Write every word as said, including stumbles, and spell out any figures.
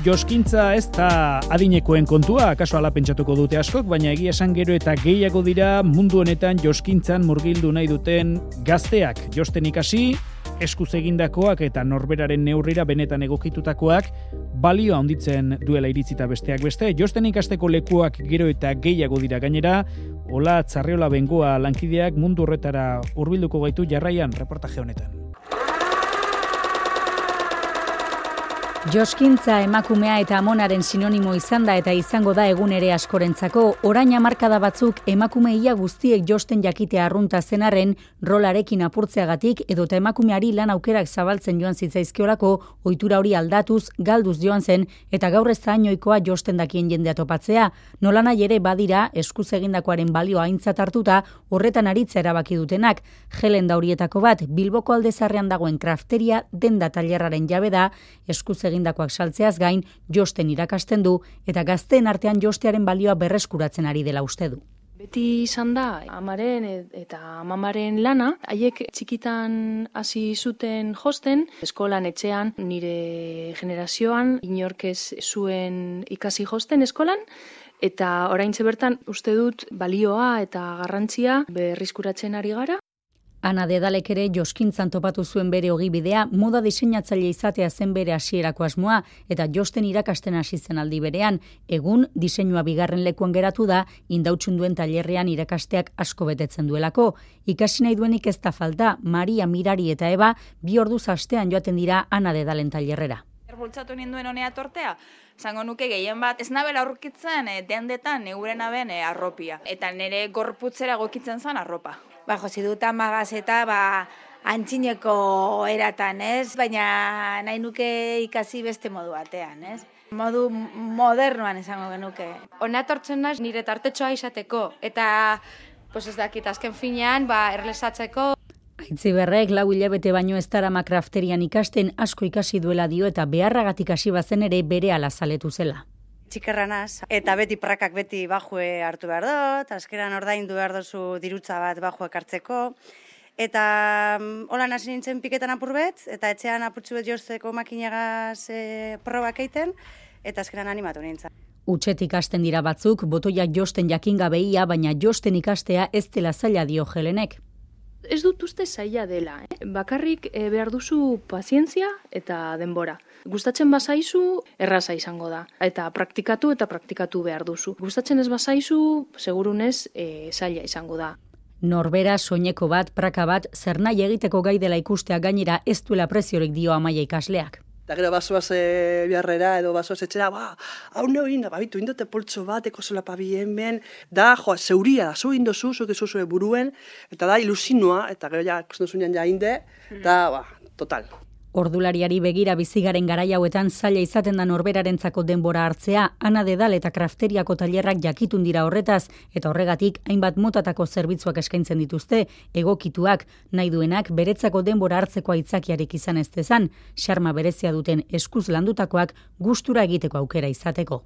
Joskintza ez da adinekoen kontua, akaso ala pentsatuko dute askok, baina egia esan gero eta gehiago dira mundu honetan joskintzan murgildu nahi duten gazteak. Josten ikasi, eskuz egindakoak eta norberaren neurrira benetan egokitutakoak balioa handitzen duela iritzita besteak beste. Josten ikasteko lekuak gero eta gehiago dira gainera, Ola Tzarriola Bengoa lankideak mundu horretara hurbilduko gaitu jarraian reportaje honetan. Joskintza emakumea eta amonaren sinonimo izan da eta izango da egun ere askorentzako. Orain hamarkada batzuk emakumeia guztiek josten jakitea arrunta zenarren rolarekin apurtzeagatik edota emakumeari lan aukerak zabaltzen joan zitzaizkiolako ohitura hori aldatuz, galduz joan zen eta gaur ez da hainoikoa josten dakien jendea topatzea. Nolanahi ere badira eskuz egindakoaren balioa aintzat hartuta horretan aritza erabaki dutenak. Helen da horietako bat Bilboko Aldezarrean dagoen krafteria denda tailerraren jabe da, eskuz egindakoak saltzeaz gain josten irakasten du eta gazteen artean jostearen balioa berreskuratzen ari dela uste du. Beti izan da amaren eta amamaren lana, haiek txikitan hasi zuten josten, eskolan etxean nire generazioan inork ez zuen ikasi josten eskolan, eta oraintxe bertan uste dut balioa eta garrantzia berrizkuratzen ari gara. Ana Dedalek ere joskintzan topatu zuen bere ogibidea, moda diseinatzaile izatea zen bere hasierako asmoa eta josten irakasten hasi zen aldi berean. Egun diseinua bigarren lekuan geratu da, indautxun duen tailerrean irakasteak asko betetzen duelako. Ikasi nahi duenik ez da falta, Maria, Mirari eta Eba bi orduz astean joaten dira Ana Dedalen tailerrera. Bultzatu ninduen honea tortea, zango nuke gehien bat, ez nabela aurkitzen e, dendetan neurena ben e, arropia. Eta nire gorputzera egokitzen zen arropa. Ba, josi dut amagaz eta ba, antxineko eratan, ez? Baina nahi nuke ikasi beste modu batean, ez? Modu modernoan esango genuke. Hona etortzen naiz nire tartetxoa izateko, eta pues ez dakit azken finean ba, erlesatzeko. Aitziberrek lau hilabete baino ez darama krafterian ikasten asko ikasi duela dio eta beharragatik hasi bazen ere berehala zaletu zela. Txikerra naz, eta beti prakak beti bajue hartu behar dut, azkeran ordaindu behar dozu dirutza bat bajuek hartzeko, eta holan hasi nintzen piketan apur bet, eta etxean apurtzu bet josteko makinagaz e, probak eiten, eta azkeran animatu nintzen. Utxetik hasten dira batzuk, botoiak josten jakingabeia, baina josten ikastea ez dela zaila dio Helenek. Ez dut uste zaila dela, eh? Bakarrik eh, behar duzu pazientzia eta denbora. Gustatzen bazaizu, erraza izango da. Eta praktikatu eta praktikatu behar duzu. Gustatzen ez bazaizu, segurunez eh, zaila izango da. Norbera, soineko bat, praka bat, zer nahi egiteko gai dela ikustea gainera ez duela preziorik dio Amaia ikasleak. Eta gero basoaz e, biharrera edo basoaz etxera, ba, hau neu inda, babitu, indote poltso bat, eko zola pabien ben, da, joa, zeuria da, zu indozu, zuke zuzue buruen, eta da, ilusinua, eta gero ja, kusten zunean ja inde, eta, ba, total. Ordulariari begira bizigaren garai hauetan zaila izaten da norberarentzako denbora hartzea, Ana Dedal eta krafteriako tailerrak jakitun dira horretaz, eta horregatik hainbat motatako zerbitzuak eskaintzen dituzte, egokituak, nahi duenak beretzako denbora hartzeko aitzakiarek izan ez dezan, xarma berezia duten eskuz landutakoak gustura egiteko aukera izateko.